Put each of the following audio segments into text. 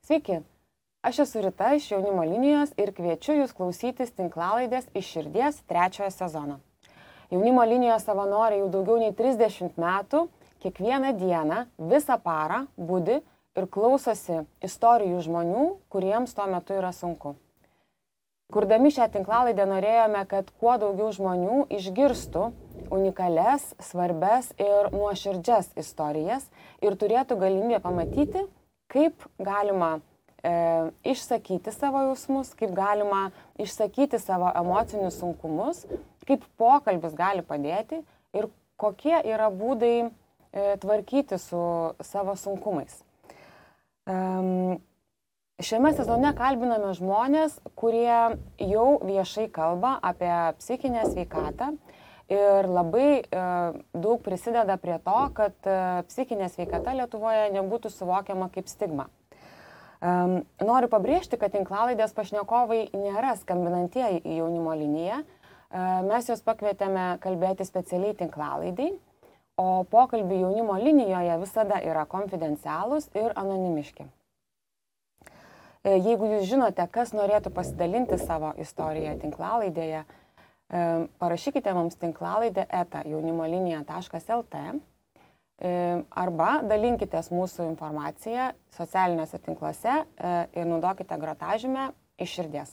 Sveiki, aš esu Rita iš Jaunimo linijos ir kviečiu jūs klausytis tinklalaidės Iš širdies 3 sezono. Jaunimo linijos savanoriai jau daugiau nei 30 metų, kiekvieną dieną, visą parą budi ir klausosi istorijų žmonių, kuriems tuo metu yra sunku. Kurdami šią tinklalaidę norėjome, kad kuo daugiau žmonių išgirstų unikalias, svarbes ir nuoširdžias istorijas ir turėtų galimybę pamatyti, kaip galima išsakyti savo jausmus, kaip galima išsakyti savo emocinius sunkumus, kaip pokalbis gali padėti ir kokie yra būdai tvarkyti su savo sunkumais. Šiame sezone kalbiname žmonės, kurie jau viešai kalba apie psichinę sveikatą ir labai daug prisideda prie to, kad psichinė sveikata Lietuvoje nebūtų suvokiama kaip stigma. Noriu pabrėžti, kad tinklalaidės pašnekovai nėra skambinantieji į Jaunimo liniją. Mes juos pakvietėme kalbėti specialiai tinklalaidai, o pokalbiai Jaunimo linijoje visada yra konfidencialūs ir anonimiški. Jeigu jūs žinote, kas norėtų pasidalinti savo istoriją tinklalaidėje, parašykite mums tinklalaidę@jaunimolinija.lt arba dalinkitės mūsų informaciją socialiniuose tinkluose ir naudokite grotažymę Iš širdies.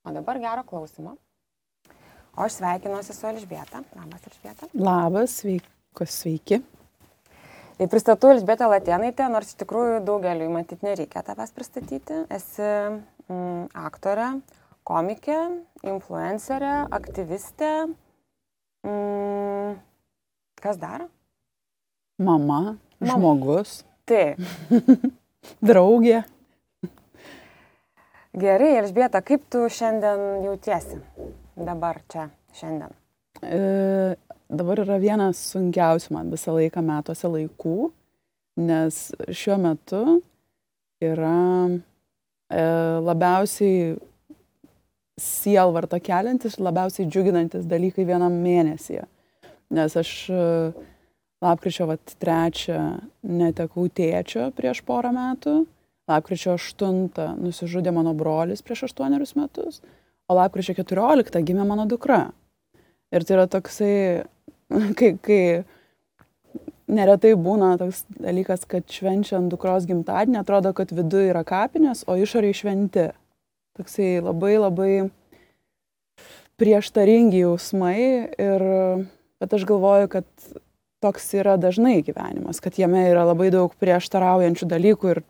O dabar gero klausimo. O aš sveikinuosi su Elžbieta. Labas, Elžbieta. Labas, sveiki. Pristatau Elžbietą Latėnaitę, nors iš tikrųjų daugeliui matyt nereikia tavęs pristatyti. Esi aktorė, komikė, influencerė, aktyvistė. Kas dar? Mama, žmogus. Taip. Draugė. Gerai, Elžbieta, kaip tu šiandien jautiesi? Dabar čia, šiandien. Dabar yra vienas sunkiausių man visą laiką metuose laikų, nes šiuo metu yra labiausiai sielvartą keliantis, labiausiai džiuginantis dalykai vienam mėnesyje. Nes aš lapkričio 3 netekau tėčio prieš porą metų, lapkričio 8 nusižudė mano brolis prieš 8 metus, o lapkričio 14 gimė mano dukra. Ir tai yra toksai, kai neretai būna toks dalykas, kad švenčiant dukros gimtadienį atrodo, kad viduje yra kapinės, o išoriai šventi. Toksai labai prieštaringi jausmai, bet aš galvoju, kad toks yra dažnai gyvenimas, kad jame yra labai daug prieštaraujančių dalykų ir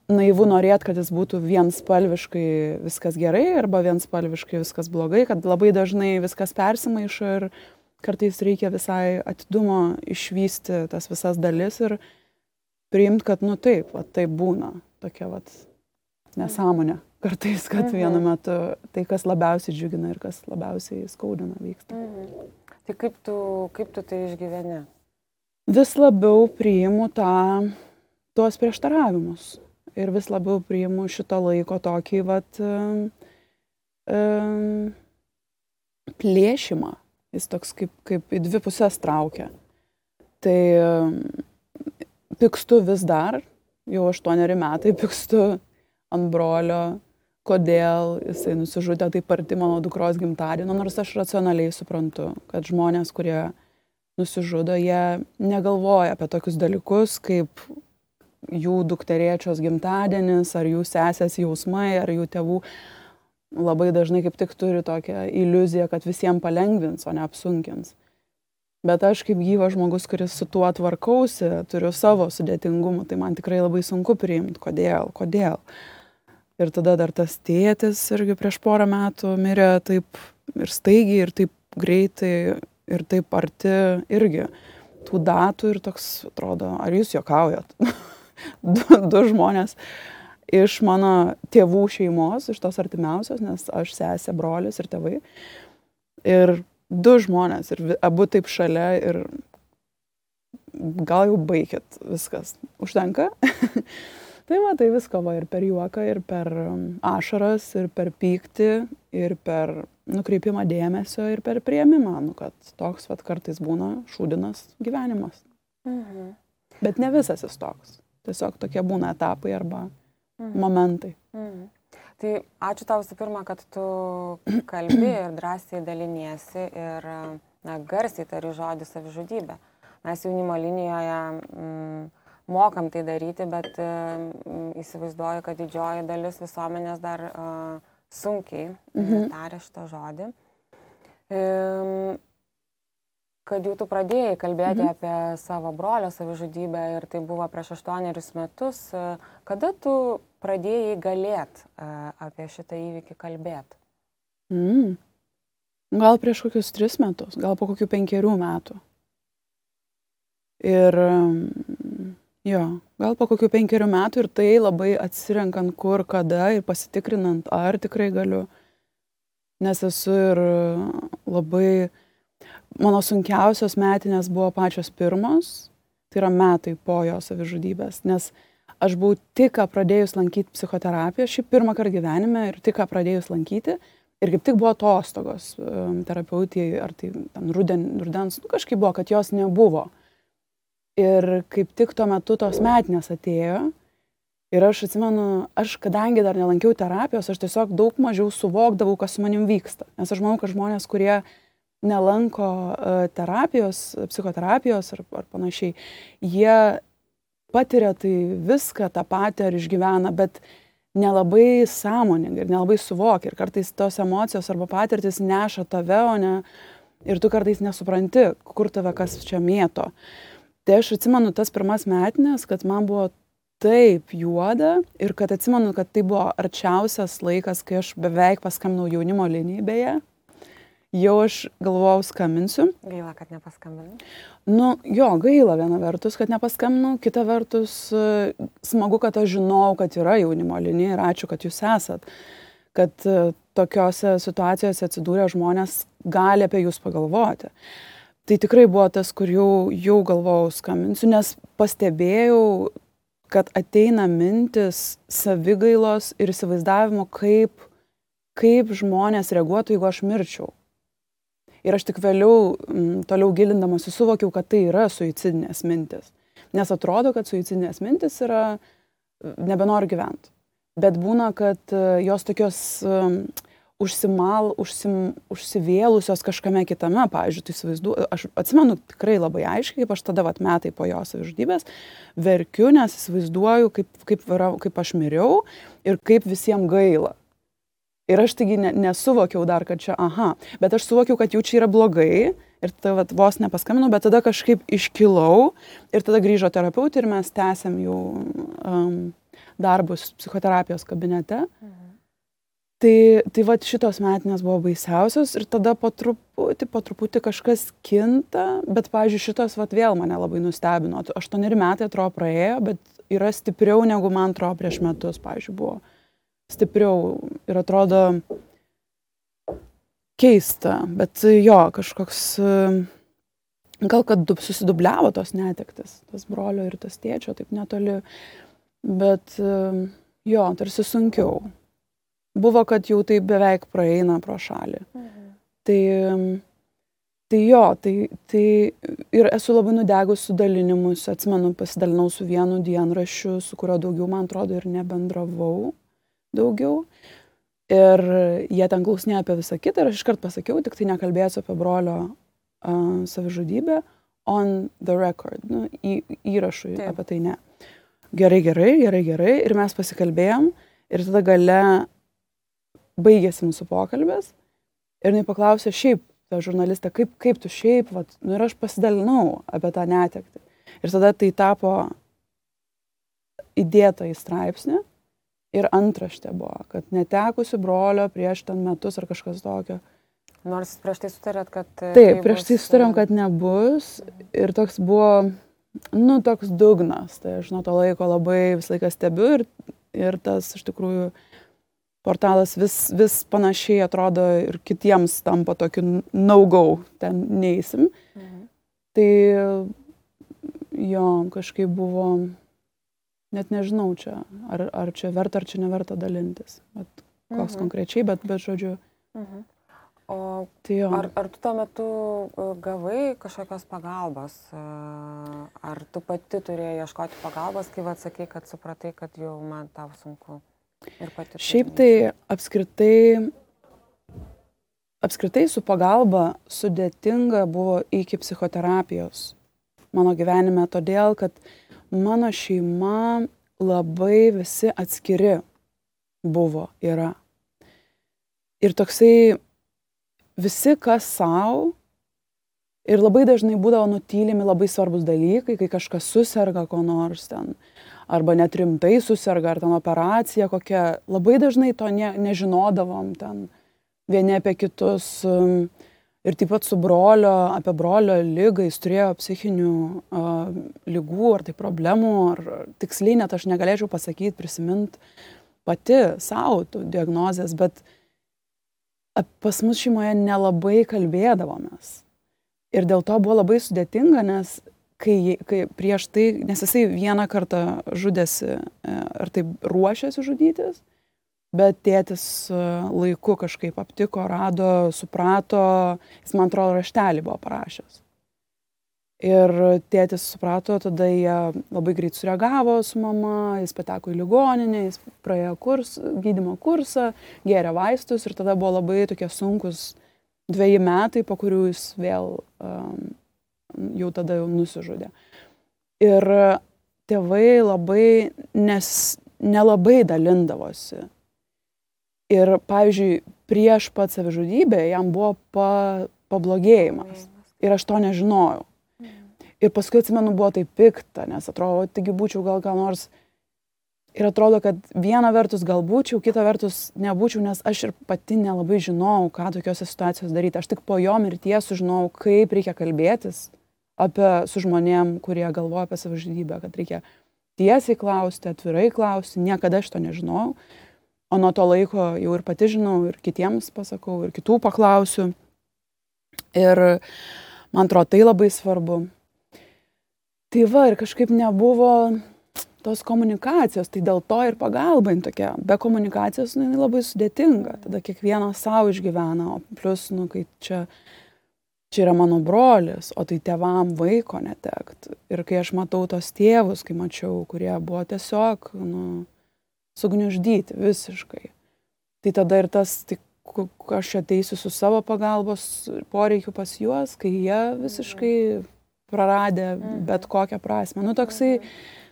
naivu norėti, kad jis būtų vienspalviškai viskas gerai arba vienspalviškai viskas blogai, kad labai dažnai viskas persimaišo ir kartais reikia visai atidumo išvysti tas visas dalis ir priimti, kad taip būna tokia nesąmonė. Kartais, kad vienu metu tai, kas labiausiai džiugina ir kas labiausiai skaudina, vyksta. Tai kaip tu tai išgyveni? Vis labiau priimu tuos prieštaravimus. Ir vis labiau priimu šito laiko tokį plėšimą. Jis toks kaip į dvi pusės traukia. Tai pykstu vis dar, jau 8 metai pykstu ant brolio, kodėl jisai nusižudė taip arti mano dukros gimtadienio, nors aš racionaliai suprantu, kad žmonės, kurie nusižudo, jie negalvoja apie tokius dalykus, kaip jų dukterėčios gimtadienis, ar jų sesės jausmai, ar jų tėvų. Labai dažnai kaip tik turi tokią iliuziją, kad visiems palengvins, o ne apsunkins. Bet aš kaip gyvas žmogus, kuris su tuo tvarkausi, turiu savo sudėtingumą, tai man tikrai labai sunku priimti, kodėl. Ir tada dar tas tėtis irgi prieš porą metų mirė taip ir staigiai, ir taip greitai, ir taip arti irgi tų datų ir toks atrodo, ar jūs juokaujat? du žmonės iš mano tėvų šeimos, iš tos artimiausios, nes aš sesė, brolis ir tėvai. Ir 2 žmonės, ir abu taip šalia, ir gal jau baikit viskas. Užtenka? Tai visko ir per juoką, ir per ašaras, ir per pyktį, ir per nukreipimą dėmesio, ir per priėmimą, kad toks kartais būna šūdinas gyvenimas. Bet ne visas jis toks. Tiesiog tokie būna etapai arba momentai. Tai ačiū tau visų pirma, kad tu kalbi ir drąsiai daliniesi ir garsiai tari žodį savižudybė. Mes jaunimo linijoje mokam tai daryti, bet įsivaizduoju, kad didžioji dalis visuomenės dar sunkiai taria šitą žodį. Kad jau tu pradėjai kalbėti apie savo brolio savižudybę ir tai buvo prieš 8 metus, kada tu pradėjai galėt apie šitą įvykį kalbėti? Gal prieš kokius 3 metus, gal po kokių 5 metų. Ir gal po kokių 5 metų ir tai labai atsirenkant kur, kada ir pasitikrinant, ar tikrai galiu. Nes esu ir labai... Mano sunkiausios metinės buvo pačios pirmos, tai yra metai po jo savižudybės, nes aš buvau tik pradėjus lankyti psichoterapiją, šį pirmą kartą gyvenime ir tik pradėjus lankyti ir kaip tik buvo atostogos terapeutijai, ar tai rudens, kažkaip buvo, kad jos nebuvo. Ir kaip tik tuo metu tos metinės atėjo ir aš atsimenu, aš kadangi dar nelankiau terapijos, aš tiesiog daug mažiau suvokdavau, kas su manim vyksta, nes aš manau, kad žmonės, kurie nelanko terapijos, psichoterapijos ar panašiai, jie patiria tai viską tą patį ar išgyvena, bet nelabai sąmoningai ir nelabai suvokia. Ir kartais tos emocijos arba patirtis neša tave, o ne, ir tu kartais nesupranti, kur tave kas čia mėto. Tai aš atsimenu tas pirmas metinės, kad man buvo taip juoda ir kad atsimenu, kad tai buvo arčiausias laikas, kai aš beveik paskambinau jaunimo linijai beje. Jau aš galvojau skambinsiu. Gaila, kad nepaskambinau. Gaila viena vertus, kad nepaskambinau. Kita vertus, smagu, kad aš žinau, kad yra jaunimo linija ir ačiū, kad jūs esat. Kad tokiose situacijose atsidūrę žmonės gali apie jūs pagalvoti. Tai tikrai buvo tas, kur jau galvojau skambinsiu, nes pastebėjau, kad ateina mintis savigailos ir įsivaizdavimo, kaip žmonės reaguotų, jeigu aš mirčiau. Ir aš tik vėliau, toliau gilindamasi, suvokiau, kad tai yra suicidinės mintis. Nes atrodo, kad suicidinės mintis yra nebenori gyventi. Bet būna, kad jos tokios užsivėlusios kažkame kitame. Pavyzdžiui, tai įsivaizduoju, aš atsimenu tikrai labai aiškiai, kaip aš tada metai po jo savižudybės verkiu, nes įsivaizduoju, kaip aš miriau ir kaip visiems gaila. Ir aš taigi nesuvokiau dar, kad čia, bet aš suvokiau, kad jau čia yra blogai ir tada vos nepaskambinau, bet tada kažkaip iškilau ir tada grįžo terapeutė ir mes tęsėm jau darbus psichoterapijos kabinete. Tai šitos metinės buvo baisiausios ir tada po truputį kažkas kinta, bet, pavyzdžiui, šitos vėl mane labai nustebino. 8 metai atrodo praėjo, bet yra stipriau negu man atrodo prieš metus, pavyzdžiui, buvo. Stipriau ir atrodo keista, bet kažkoks, gal kad susidubliavo tos netektis, tas brolio ir tas tėčio, taip netoli, bet tarsi sunkiau. Buvo, kad jau tai beveik praeina pro šalį. Tai ir esu labai nudegus su dalinimus, atsimenu, pasidalinau su vienu dienraščiu, su kurio daugiau, man atrodo, ir nebendravau daugiau. Ir jie ten klausinėjo apie visą kitą ir aš iškart pasakiau, tik tai nekalbėsiu apie brolio savižudybę on the record, įrašui apie tai ne. Gerai. Ir mes pasikalbėjom ir tada gale baigėsi mūsų pokalbis ir jinai paklausė šiaip, ta žurnalistė, kaip tu šiaip, ir aš pasidalinau apie tą netektį. Ir tada tai tapo įdėta į straipsnį. Ir antraštė buvo, kad netekusi brolio prieš ten metus ar kažkas tokio. Nors prieš tai sutarėt, kad... Taip, prieš tai sutarėm, kad nebus. Ir toks buvo, toks dugnas. Tai aš nuo to laiko labai visą laiką stebiu ir tas, iš tikrųjų, portalas vis panašiai atrodo ir kitiems tampa tokiu no-go, ten neįsim. Tai kažkaip buvo... Net nežinau čia, ar čia verta, ar čia neverta dalintis. Koks konkrečiai, bet žodžiu. Tai jo. Ar tu tuo metu gavai kažkokios pagalbos? Ar tu pati turėjai ieškoti pagalbos, kai atsakai, kad supratai, kad jau man tau sunku ir pati? Šiaip tai apskritai su pagalba sudėtinga buvo iki psichoterapijos mano gyvenime, todėl kad mano šeima labai visi atskiri yra. Ir toksai visi kas savo ir labai dažnai būdavo nutylimi labai svarbus dalykai, kai kažkas suserga ko nors ten, arba net rimtai suserga, ar ten operacija kokia, labai dažnai to nežinodavom ten vieni apie kitus. Ir taip pat su apie brolio ligą, jis turėjo psichinių ligų, ar tai problemų, ar tiksliai net aš negalėčiau pasakyti, prisiminti pati savo tų diagnozės, bet pas mus šeimoje nelabai kalbėdavomės. Ir dėl to buvo labai sudėtinga, nes kai prieš tai, nes jisai vieną kartą žudėsi, ar taip ruošėsi žudytis, bet tėtis laiku kažkaip aptiko, rado, suprato, jis man atrodo raštelį buvo parašęs. Ir tėtis suprato, tada jie labai greit sureagavo su mama, jis pateko į ligoninę, jis praėjo gydymo kursą, gėrė vaistus ir tada buvo labai tokie sunkus 2 metai, po kurių jis vėl jau tada nusižudė. Ir tėvai labai nelabai dalindavosi. Ir, pavyzdžiui, prieš pat savižudybę jam buvo pablogėjimas. Ir aš to nežinojau. Ir paskui, atsimenu, buvo tai pikta, nes atrodo, taigi būčiau gal ką nors. Ir atrodo, kad viena vertus gal būčiau, kita vertus nebūčiau, nes aš ir pati nelabai žinojau, ką tokiose situacijos daryti. Aš tik po jo mirties sužinojau, kaip reikia kalbėtis su žmonėm, kurie galvoja apie savižudybę, kad reikia tiesiai klausti, atvirai klausti. Niekada aš to nežinojau. O nuo to laiko jau ir pati žinau, ir kitiems pasakau, ir kitų paklausiu. Ir man atrodo, tai labai svarbu. Tai va, ir kažkaip nebuvo tos komunikacijos, tai dėl to ir pagalba tokia. Be komunikacijos jinai labai sudėtinga. Tada kiekvienas savo išgyvena, o plus, kai čia yra mano brolis, o tai tėvam vaiko netekt. Ir kai aš matau tos tėvus, kai mačiau, kurie buvo tiesiog, sugniuždyti visiškai. Tai tada ir tas, aš ateisiu su savo pagalbos poreikiu pas juos, kai jie visiškai praradė bet kokią prasmę. Toksai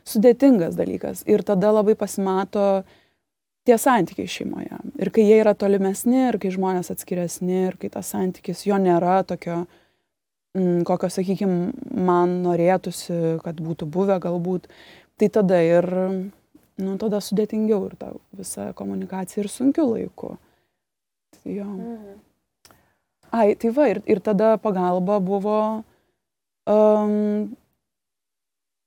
sudėtingas dalykas. Ir tada labai pasimato tie santykiai šeimoje. Ir kai jie yra tolimesni, ir kai žmonės atskiresni, ir kai tas santykis jo nėra tokio, kokio, sakykime, man norėtųsi, kad būtų buvę galbūt, tai tada ir tada sudėtingiau ir ta visa komunikacija ir sunkiu laiku. Tai jo. Tai va, ir tada pagalba buvo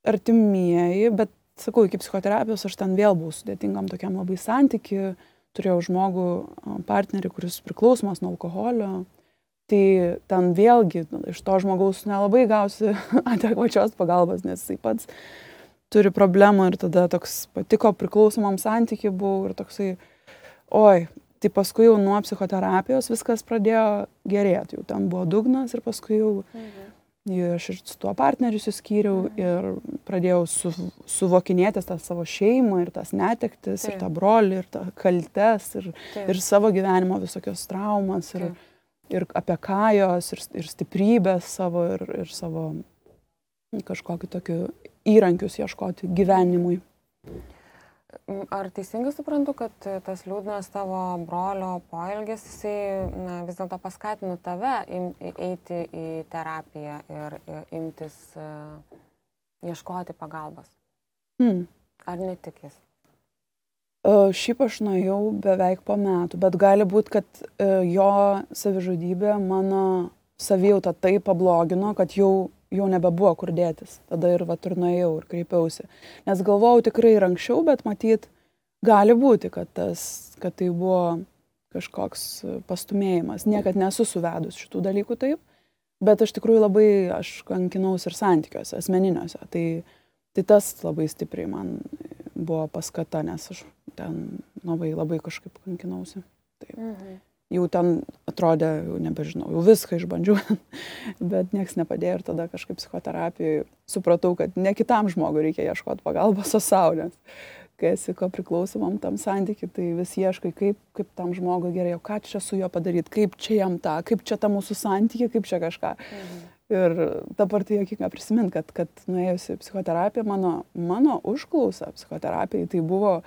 artimieji, bet sakau, iki psichoterapijos aš ten vėl buvau sudėtingam tokiam labai santykiui, turėjau žmogų, partnerį, kuris priklausomas nuo alkoholio, tai ten vėlgi iš to žmogaus nelabai gausi adekvačios pagalbos, nes jisai pats turi problemų ir tada toks patiko priklausomam santykiui buvau ir toksai, tai paskui jau nuo psichoterapijos viskas pradėjo gerėti, jau ten buvo dugnas ir paskui jau aš ir su tuo partneriu suskyriau ir pradėjau suvokinėtis tą savo šeimą ir tas netektis ir tą brolį ir tą kaltes ir savo gyvenimo visokios traumas ir apie kajos ir stiprybės savo ir savo kažkokiu tokiu įrankius ieškoti gyvenimui. Ar teisingai suprantu, kad tas liūdnas tavo brolio poelgis, jisai vis dėlto paskatino tave eiti į terapiją ir imtis ieškoti pagalbos? Ar netikis? Šiaip aš nuėjau beveik po metų, bet gali būti, kad jo savižudybė mano savijautą taip pablogino, kad jau nebebuvo kur dėtis. Tada ir nuėjau ir kreipiausi. Nes galvojau tikrai ir anksčiau, bet matyt, gali būti, kad tai buvo kažkoks pastumėjimas. Niekad nesu suvedus šitų dalykų taip, bet aš tikrųjų labai, aš kankinaus ir santykiuose, asmeniniuose. Tai tas labai stipriai man buvo paskata, nes aš ten labai kažkaip kankinausi. Taip. jau ten atrodė, jau nebežinau, jau viską išbandžiau, bet nieks nepadėjo ir tada kažkaip psichoterapijoje supratau, kad ne kitam žmogui reikia ieškoti pagalbos, o sau, nes kai esi ko priklausomam tam santykiui, tai vis ieškai, kaip tam žmogui gerai, o ką čia su juo padaryti, kaip čia jam tą, kaip čia ta mūsų santykiai, kaip čia kažką. Ir dabar tai jokinga prisiminti, kad nuėjusi psichoterapiją, mano užklausa psichoterapijai, tai buvo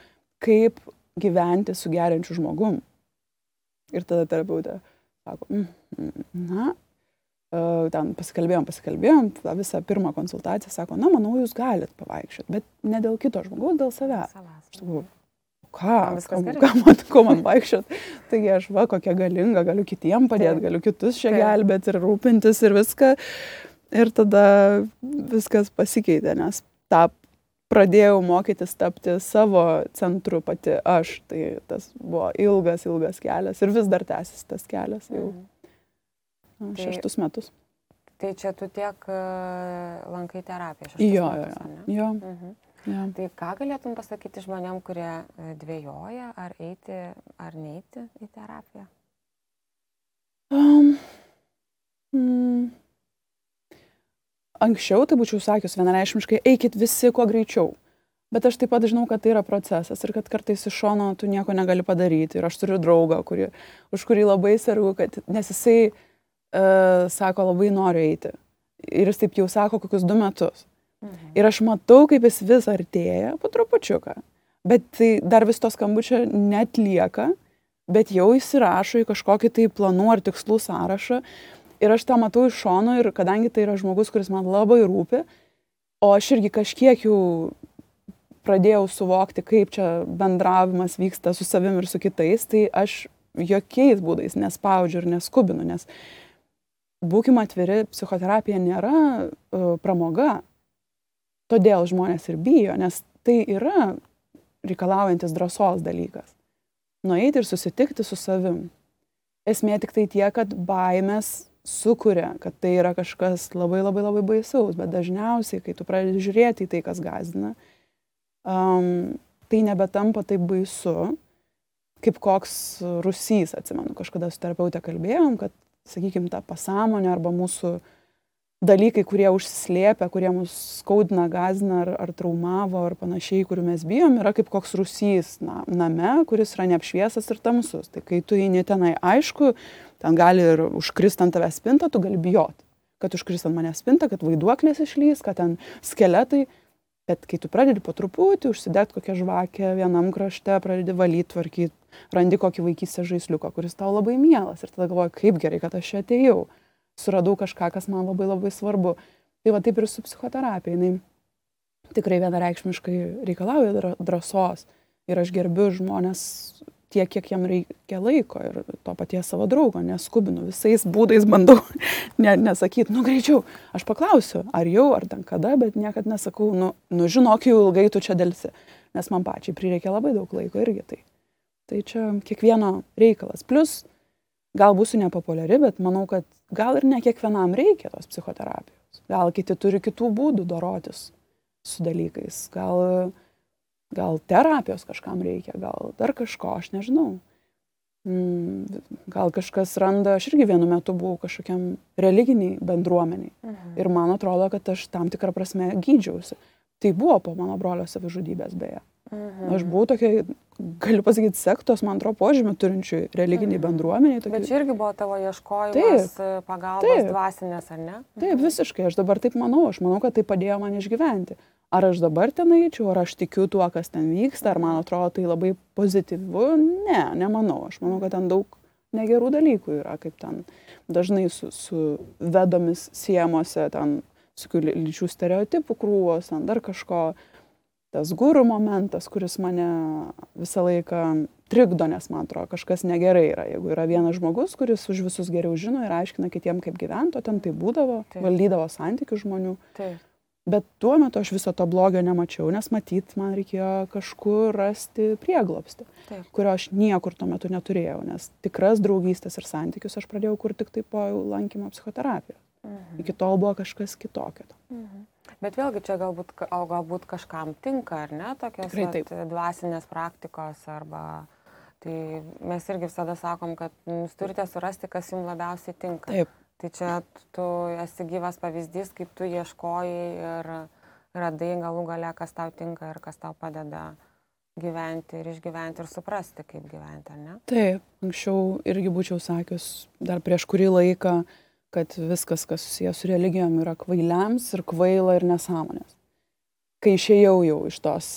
kaip gyventi su geriančiu žmogum. Ir tada terapeutė sako, ten pasikalbėjom, visą pirmą konsultaciją, sako, manau, jūs galit pavaikščioti, bet ne dėl kito žmogaus, dėl savęs. Aš sakau, ko man vaikščioti? Taigi aš kokia galinga, galiu kitiem padėti, galiu kitus čia gelbėti ir rūpintis ir viską. Ir tada viskas pasikeitė, nes pradėjau mokytis tapti savo centru pati aš. Tai tas buvo ilgas kelias ir vis dar tęsis tas kelias jau 6 metus. Tai čia tu tiek lankai terapiją 6 metus, ne? Jo. Tai ką galėtum pasakyti žmonėm, kurie dvejoja, ar eiti, ar neiti į terapiją? Anksčiau tai būčiau sakius vienareikšmiškai, eikit visi kuo greičiau. Bet aš taip pat žinau, kad tai yra procesas ir kad kartais iš šono tu nieko negali padaryti. Ir aš turiu draugą, už kurį labai sergu, nes jisai sako, labai noriu eiti. Ir jis taip jau sako kokius 2 metus. Ir aš matau, kaip jis vis artėja po trupučiuką. Bet tai dar vis to skambučio netlieka, bet jau įsirašo į kažkokį tai planų ar tikslų sąrašą. Ir aš tą matau iš šono ir kadangi tai yra žmogus, kuris man labai rūpi, o aš irgi kažkiek jau pradėjau suvokti, kaip čia bendravimas vyksta su savim ir su kitais, tai aš jokiais būdais nespaudžiu ir neskubinu, nes būkime atviri, psichoterapija nėra pramoga. Todėl žmonės ir bijo, nes tai yra reikalaujantis drąsos dalykas. Nueiti ir susitikti su savim. Esmė tik tai tie, kad baimės sukuria, kad tai yra kažkas labai baisaus, bet dažniausiai, kai tu pradedi žiūrėti į tai, kas gąsdina, tai nebetampa taip baisu, kaip koks rūsys, atsimenu, kažkada su terapeute kalbėjom, kad, sakykime, ta pasąmonė arba mūsų dalykai, kurie užsislėpia, kurie mus skaudina, gąsdina ar traumavo ar panašiai, kurių mes bijom, yra kaip koks rūsys name, kuris yra neapšviesas ir tamsus. Tai kai tu eini tenai, aišku, ten gali ir užkrist ant tavęs spintą, tu gali bijoti, kad užkrist ant manęs spintą, kad vaiduoklės išlys, kad ten skeletai. Bet kai tu pradedi po truputį užsidegti kokią žvakę vienam krašte, pradedi valyti, tvarkyti, randi kokį vaikystės žaisliuką, kuris tau labai mielas. Ir tada galvoji, kaip gerai, kad aš čia atėjau. Suradau kažką, kas man labai svarbu. Tai va taip ir su psichoterapija. Jinai tikrai vienareikšmiškai reikalauja drąsos. Ir aš gerbiu žmonės tiek, kiek jam reikia laiko. Ir to paties savo draugo neskubinu. Visais būdais bandau nesakyti, greičiau. Aš paklausiu, ar jau, ar ten kada, bet niekad nesakau, žinok, jau ilgai tu čia delsi. Nes man pačiai prireikia labai daug laiko irgi tai. Tai čia kiekvieno reikalas. Plus, gal būsiu nepopuliari, bet manau, kad gal ir ne kiekvienam reikia tos psichoterapijos. Gal kiti turi kitų būdų dorotis su dalykais. Gal terapijos kažkam reikia, gal dar kažko, aš nežinau. Gal kažkas randa, aš irgi vienu metu buvau kažkokiam religiniai bendruomeniai. Ir man atrodo, kad aš tam tikrą prasme gydžiausi. Tai buvo po mano brolio savižudybės beje. Aš buvau tokia, galiu pasakyti, sektos, man atrodo, požymį turinčių religiniai bendruomeniai. Bet čia irgi buvo tavo ieškojimas, pagalbos dvasinės, ar ne? Taip, visiškai, aš dabar taip manau, kad tai padėjo man išgyventi. Ar aš dabar ten eičiau, ar aš tikiu tuo, kas ten vyksta, ar man atrodo tai labai pozityvu? Ne, nemanau. Aš manau, kad ten daug negerų dalykų yra, kaip ten dažnai su vedomis siemose, ten su lyčių stereotipų krūvos, ten dar kažko. Tas guru momentas, kuris mane visą laiką trikdo, nes man atrodo, kažkas negerai yra. Jeigu yra vienas žmogus, kuris už visus geriau žino ir aiškina kitiem, kaip gyventi, o ten tai būdavo, valdydavo santykių žmonių. Taip. Bet tuo metu aš viso to blogio nemačiau, nes matyt, man reikėjo kažkur rasti prieglobstį, kurio aš niekur tuo metu neturėjau, nes tikras draugystės ir santykius aš pradėjau kurti tik tai po lankymo psichoterapijos. Iki tol buvo kažkas kitokio. Bet vėlgi čia galbūt kažkam tinka, ar ne, tokios dvasinės praktikos arba Tai mes irgi visada sakom, kad jūs turite surasti, kas jums labiausiai tinka. Taip. Tai čia tu esi gyvas pavyzdys, kaip tu ieškojai ir radai galų gale, kas tau tinka ir kas tau padeda gyventi ir išgyventi ir suprasti, kaip gyventi, ar ne? Taip, anksčiau irgi būčiau sakius dar prieš kurį laiką, kad viskas, kas susijęs su religijom, yra kvailiams ir kvaila ir nesąmonės. Kai išėjau jau iš tos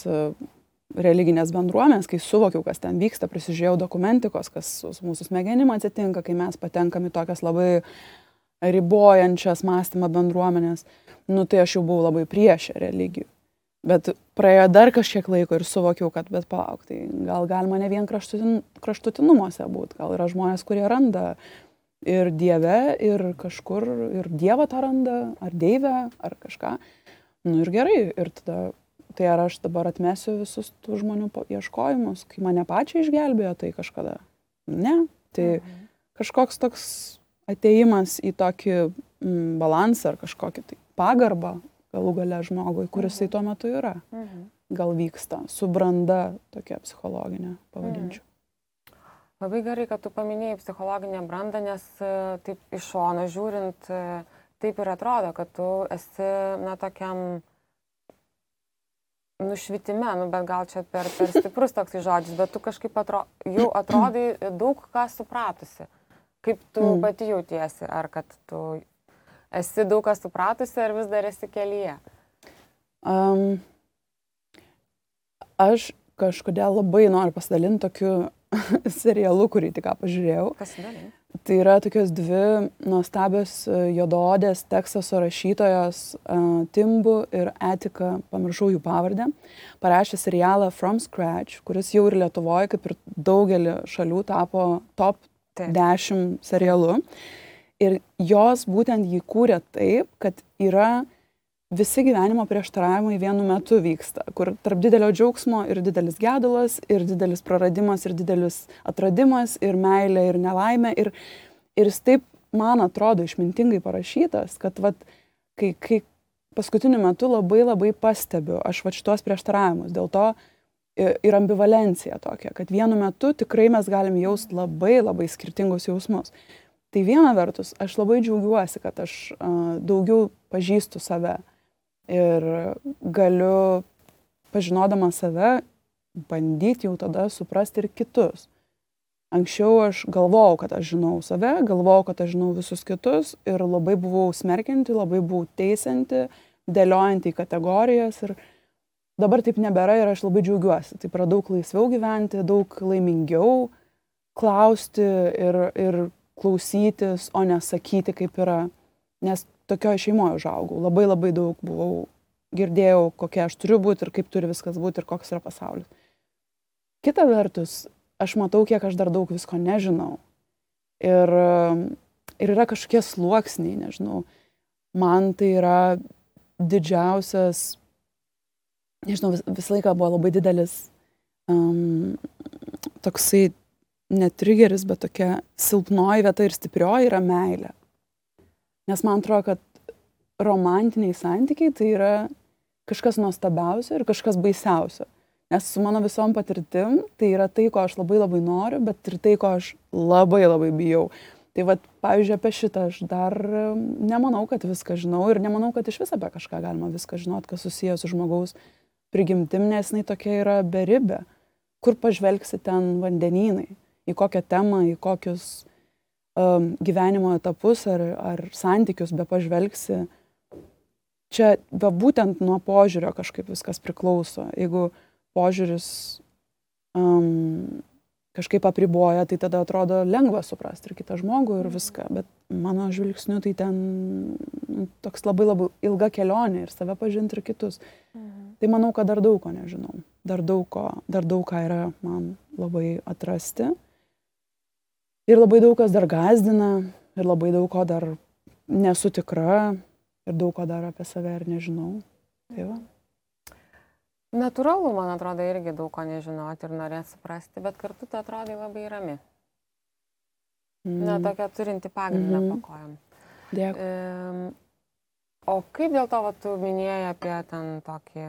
religinės bendruomenės, kai suvokiau, kas ten vyksta, prisižiūrėjau dokumentikos, kas su mūsų smegenim atsitinka, kai mes patenkam į tokias labai ribojančias mąstymą bendruomenės, nu tai aš jau buvau labai priešė religijų. Bet praėjo dar kažkiek laiko ir suvokiau, kad bet palauk, tai gal galima ne vien kraštutinumuose būti, gal yra žmonės, kurie randa ir Dieve, ir kažkur, ir Dievą tą randa, ar Deivę, ar kažką. Nu ir gerai, ir tada, tai ar aš dabar atmesiu visus tų žmonių ieškojimus, kai mane pačią išgelbėjo tai kažkada? Ne, tai kažkoks toks atėjimas į tokį balansą ar kažkokį tai pagarbą galų gale žmogui, kuris tai tuo metu yra. Gal vyksta su branda tokia psichologinė, pavadinčiau. Labai gerai, kad tu paminėjai psichologinę brandą, nes taip iš šono žiūrint, taip ir atrodo, kad tu esi, na, tokiam nušvitime, nu, bet gal čia per stiprus toks žodis, bet tu kažkaip jau atrodai daug ką supratusi. Kaip tu pati jautiesi, ar kad tu esi daug ką supratusi, ar vis dar esi kelyje? Aš kažkodėl labai noriu pasidalinti tokiu serialu, kurį tik ką pažiūrėjau. Pasidalink. Tai yra tokios dvi nuostabios juodaodės Teksaso rašytojos Timbu ir Etika, pamiršau jų pavardę, parašė serialą From Scratch, kuris jau ir Lietuvoje, kaip ir daugelį šalių, tapo top 10 serialu. Ir jos būtent jį kūrė taip, kad yra visi gyvenimo prieštaravimai vienu metu vyksta, kur tarp didelio džiaugsmo ir didelis gedulas, ir didelis praradimas, ir didelis atradimas, ir meilė, ir nelaimė. Ir jis taip, man atrodo, išmintingai parašytas, kad vat, kai paskutiniu metu labai pastebiu aš vat šitos prieštaravimus, dėl to ir ambivalencija tokia, kad vienu metu tikrai mes galim jausti labai skirtingus jausmus. Tai viena vertus, aš labai džiaugiuosi, kad aš daugiau pažįstu save. Ir galiu, pažinodama save, bandyti jau tada suprasti ir kitus. Anksčiau aš galvojau, kad aš žinau save, galvojau, kad aš žinau visus kitus ir labai buvau smerkianti, labai buvau teisianti, dėliojanti į kategorijas ir dabar taip nebėra ir aš labai džiaugiuosi. Taip yra daug laisviau gyventi, daug laimingiau klausti ir klausytis, o nesakyti, kaip yra, nes tokioje šeimoje užaugau. Labai daug buvau, girdėjau, kokia aš turiu būti ir kaip turi viskas būti ir koks yra pasaulis. Kita vertus, aš matau, kiek aš dar daug visko nežinau. Ir yra kažkokie sluoksniai, nežinau. Man tai yra didžiausias, nežinau, visą laiką buvo labai didelis toksai ne trigeris, bet tokia silpnoji vieta ir stiprioji yra meilė. Nes man atrodo, kad romantiniai santykiai tai yra kažkas nuostabiausio ir kažkas baisiausio. Nes su mano visom patirtim tai yra tai, ko aš labai noriu, bet ir tai, ko aš labai bijau. Tai vat, pavyzdžiui, apie šitą aš dar nemanau, kad viską žinau ir nemanau, kad iš viso apie kažką galima viską žinot, kas susijęs su žmogaus prigimtim, nes jinai tokia yra beribė. Kur pažvelgsi ten vandenynai, į kokią temą, į kokius gyvenimo etapus ar santykius be pažvelgsi. Čia be būtent nuo požiūrio kažkaip viskas priklauso. Jeigu požiūris kažkaip apriboja, tai tada atrodo lengva suprasti ir kitą žmogų ir viską. Bet mano žvilgsniu tai ten toks labai ilga kelionė ir save pažinti ir kitus. Tai manau, kad dar daug ko nežinau. Dar daug ką yra man labai atrasti. Ir labai daug kas dar gąsdina, ir labai daug ko dar nesu tikra, ir daug ko dar apie save ir nežinau. Tai va. Natūralu, man atrodo, irgi daug ko nežinoti ir norėti suprasti, bet kartu tu atrodai labai rami. Na, tokia turinti pagrindą po kojom. Dėkui. O kaip dėl to, tu minėjai apie ten tokį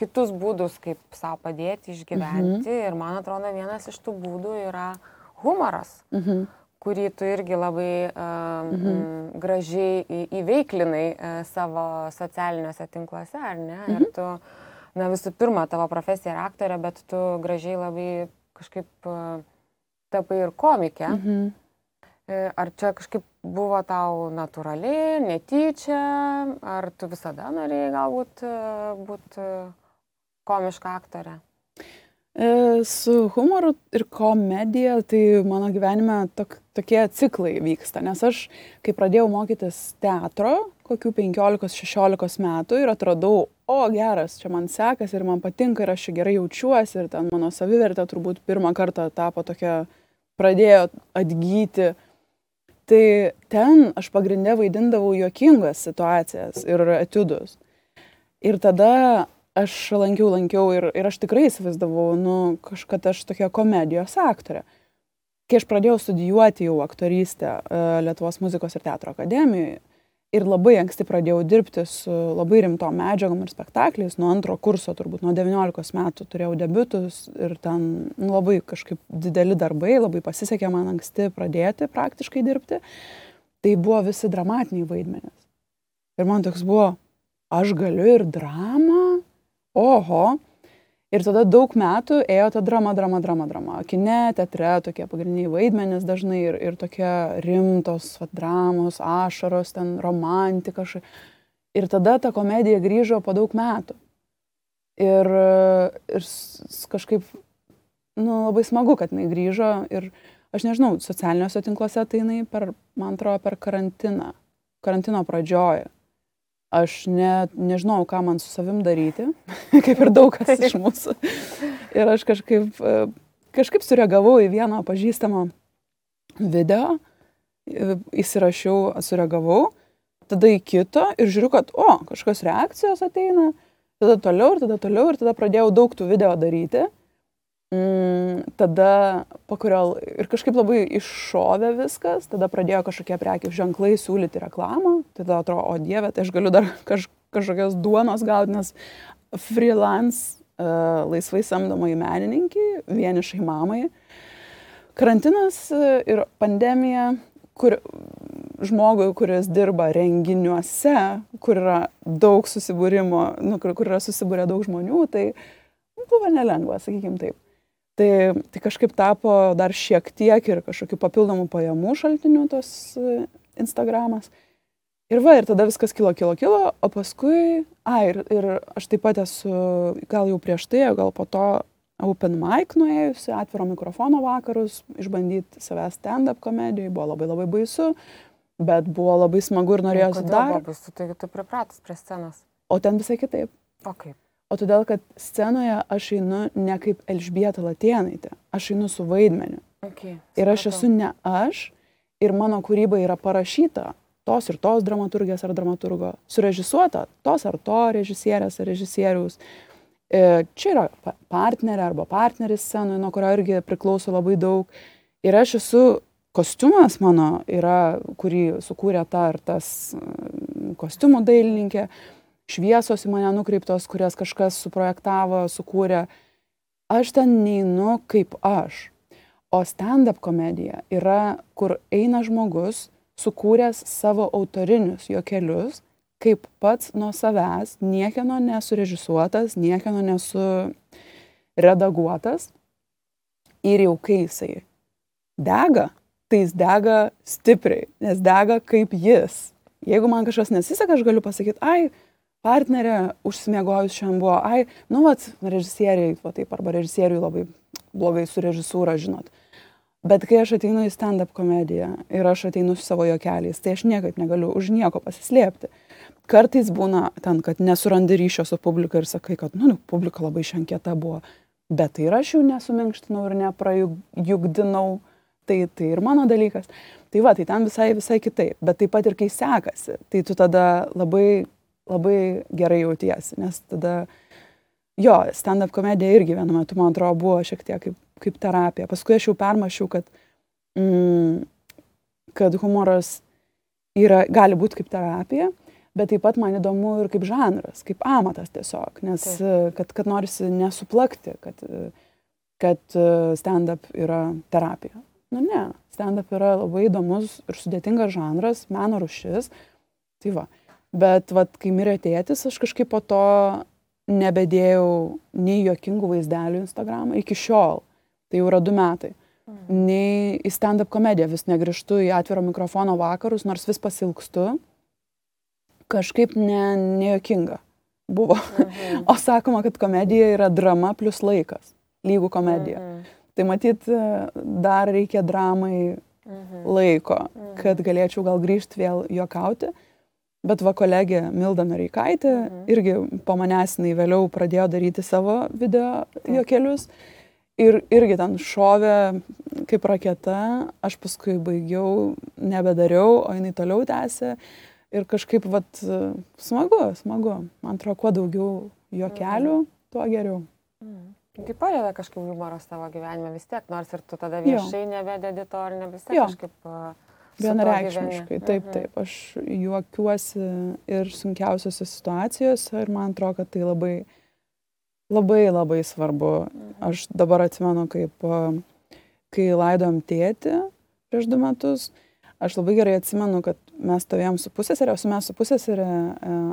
kitus būdus, kaip savo padėti išgyventi. Ir man atrodo, vienas iš tų būdų yra humoras, kurį tu irgi labai gražiai įveiklinai savo socialiniuose tinkluose, ar ne? Ir tu, visų pirma, tavo profesija yra aktorė, bet tu gražiai labai kažkaip tapai ir komikė. Ar čia kažkaip buvo tau natūraliai, netyčia, ar tu visada norėjai galbūt būti komiška aktorė? Su humoru ir komedija, tai mano gyvenime tokie ciklai vyksta, nes aš, kai pradėjau mokytis teatro, kokių 15-16 metų ir atradau, geras, čia man sekasi ir man patinka ir aš čia gerai jaučiuosi ir ten mano savivertė turbūt pirmą kartą tapo tokia, pradėjo atgyti. Tai ten aš pagrinde vaidindavau juokingas situacijas ir etiudus. Ir tada aš lankiau ir aš tikrai įsivaizdavau, kad aš tokia komedijos aktorė. Kai aš pradėjau studijuoti jau aktorystę Lietuvos muzikos ir teatro akademijoje ir labai anksti pradėjau dirbti su labai rimtom medžiagom ir spektakliais, nuo antro kurso, turbūt nuo 19 metų turėjau debiutus ir ten labai kažkaip dideli darbai, labai pasisekė man anksti pradėti praktiškai dirbti. Tai buvo visi dramatiniai vaidmenys. Ir man toks buvo, aš galiu ir dramą, oho. Ir tada daug metų ėjo ta drama. Kine, teatre tokie pagrindiniai vaidmenys dažnai ir tokie rimtos dramos, ašaros, ten romantika. Ir tada ta komedija grįžo po daug metų. Ir kažkaip, labai smagu, kad jinai grįžo. Ir aš nežinau, socialiniuose tinkluose tai jinai man atrodo, per karantino pradžioje. Aš nežinau, ką man su savim daryti, kaip ir daug kas iš mūsų. Ir aš kažkaip sureagavau į vieną pažįstamą video, įsirašiau, sureagavau, tada į kito ir žiūriu, kad, kažkokios reakcijos ateina, tada toliau ir tada pradėjau daug tų video daryti. Tada ir kažkaip labai iššovė viskas, tada pradėjo kažkokie prekių ženklai siūlyti reklamą, tada atrodo, o dieve, tai aš galiu dar kažkokios duonos gauti, nes freelance, laisvai samdomai menininkai, vienišai mamai. Karantinas ir pandemija, kur žmogui, kuris dirba renginiuose, kur yra daug susibūrimo, kur yra susibūrę daug žmonių, tai buvo nelengva, sakykim taip. Tai kažkaip tapo dar šiek tiek ir kažkokių papildomų pajamų šaltinių tos Instagramas. Ir tada viskas kilo, o paskui, ir aš taip pat esu, gal jau prieš tai, gal po to open mic nuėjusi, atviro mikrofono vakarus, išbandyti savęs stand-up komedijai, buvo labai labai baisu, bet buvo labai smagu ir norėjosi dar. Kodėl buvo baisu, tai tu pripratus prie scenos? O ten visai kitaip. O kaip? O todėl, kad scenoje aš einu ne kaip Elžbieta Latėnaitė, aš einu su vaidmeniu. Okay, ir aš esu ne aš, ir mano kūryba yra parašyta tos ir tos dramaturgės ar dramaturgo, surežisuota tos ar to režisierės ar režisieriaus. Čia yra partnerė arba partneris scenoje, nuo kurio irgi priklauso labai daug. Ir aš esu, kostiumas mano yra, kurį sukūrė ta ar tas kostiumų dailininkė, šviesos į mane nukreiptos, kurias kažkas suprojektavo, sukūrė. Aš ten neinu kaip aš. O stand-up komedija yra, kur eina žmogus, sukūręs savo autorinius juokelius, kaip pats nuo savęs, niekieno nesurežisuotas, niekieno nesuredaguotas. Ir jau kai jisai dega, tai jis dega stipriai, nes dega kaip jis. Jeigu man kažkas nesiseka, aš galiu pasakyti, partnerė užsimiegojus šiandien buvo, režisieriai, arba režisieriui labai blogai su režisūra, žinot. Bet kai aš ateinu į stand-up komediją ir aš ateinu su savo juokeliais, tai aš niekaip negaliu už nieko pasislėpti. Kartais būna ten, kad nesurandi ryšio su publika ir sakai, kad, publika labai šiankieta buvo. Bet tai ir aš jau nesuminkštinau ir neprajugdinau. Tai ir mano dalykas. Tai tai ten visai kitaip. Bet taip pat ir kai sekasi, tai tu tada labai gerai jautiesi, nes tada, stand-up komedija irgi vienu metu, man atrodo, buvo šiek tiek kaip terapija. Paskui aš jau permašiau, kad humoras gali būti kaip terapija, bet taip pat man įdomu ir kaip žanras, kaip amatas tiesiog, nes kad norisi nesuplakti, kad stand-up yra terapija. Nu ne, stand-up yra labai įdomus ir sudėtingas žanras, meno rūšis. Tai va. Bet kai mirė tėtis, aš kažkaip po to nebedėjau nei juokingų vaizdelių Instagramą iki šiol. Tai jau yra 2 metai. Nei į stand-up komediją vis negrįžtu į atviro mikrofono vakarus, nors vis pasilgstu. Kažkaip nejuokinga buvo. O sakoma, kad komedija yra drama plus laikas. Lygų komedija. Tai matyt, dar reikia dramai laiko, kad galėčiau gal grįžti vėl juokauti. Bet kolegė Milda Noreikaitė irgi po manęs jinai vėliau pradėjo daryti savo video juokelius. Ir irgi ten šovė kaip raketa. Aš paskui baigiau, nebedariau, o jinai toliau tęsė. Ir kažkaip smagu. Man atrodo, kuo daugiau juokelių, tuo geriau. Tai padeda kažkaip humoras tavo gyvenime vis tiek, nors ir tu tada viešai nebededi to, ar ne vis tiek kažkaip vienareikšmiškai. Taip. Aš juokiuosi ir sunkiausiose situacijose ir man atrodo, kad tai labai svarbu. Aš dabar atsimenu, kai laidojom tėtį prieš 2 metus, aš labai gerai atsimenu, kad mes stovėjom su pusseserė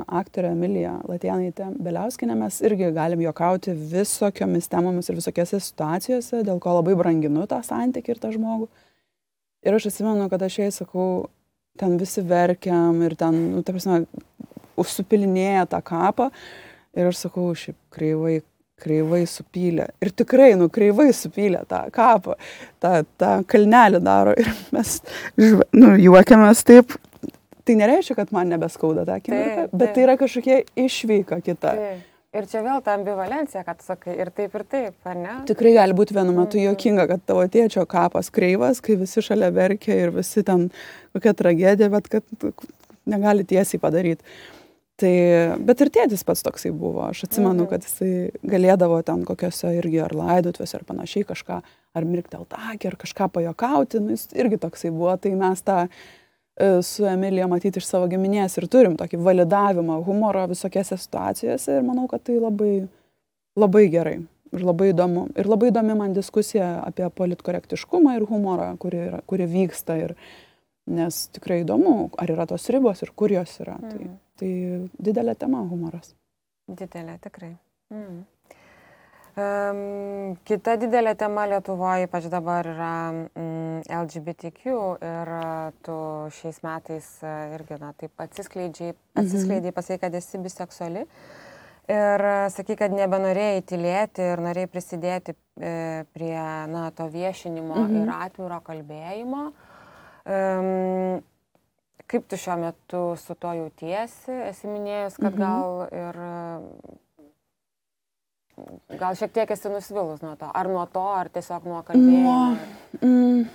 aktorė Emilija Latėnaitė Beliauskienė, mes irgi galim juokauti visokiomis temomis ir visokiose situacijose, dėl ko labai branginu tą santykį ir tą žmogų. Ir aš atsimenu, kad aš jai sakau, ten visi verkiam ir ten, ta prasme, užsupilinėja tą kapą. Ir aš sakau, šiaip kreivai supylė. Ir tikrai, kreivai supylė tą kapą, tą kalnelį daro. Ir mes juokiamės taip. Tai nereiškia, kad man nebeskauda tą akimirką, bet tai yra kažkokia išveika kita. Ir čia vėl ta ambivalencija, kad sakai ir taip, ar ne? Tikrai gali būti vienu metu juokinga, kad tavo tėčio kapas kreivas, kai visi šalia verkia ir visi ten kokia tragedija, bet kad negali tiesiai padaryti. Bet ir tėtis pats toksai buvo. Aš atsimenu, kad jisai galėdavo ten kokiose irgi ar laidotuose ar panašiai kažką, ar mirktelt akį, ar kažką pajokauti. Jis irgi toksai buvo. Tai mes tą su Emilija matyti iš savo giminės ir turim tokį validavimą humoro visokiose situacijose. Ir manau, kad tai labai gerai ir labai įdomu. Ir labai įdomi man diskusija apie politkorektiškumą ir humorą, kuri vyksta. Nes tikrai įdomu, ar yra tos ribos ir kur jos yra. Tai didelė tema humoras. Didelė, tikrai. Kita didelė tema Lietuvoje, ypač dabar yra LGBTQ ir tu šiais metais irgi taip atsiskleidžiai, pasakei, kad esi biseksuali ir sakai, kad nebenorėjai tylėti ir norėjai prisidėti prie to viešinimo ir atviro kalbėjimo. Kaip tu šiuo metu su to jautiesi? Esi minėjus, kad gal šiek tiek esi nusvilus nuo to. Ar nuo to, ar tiesiog nuo kalbėjimo?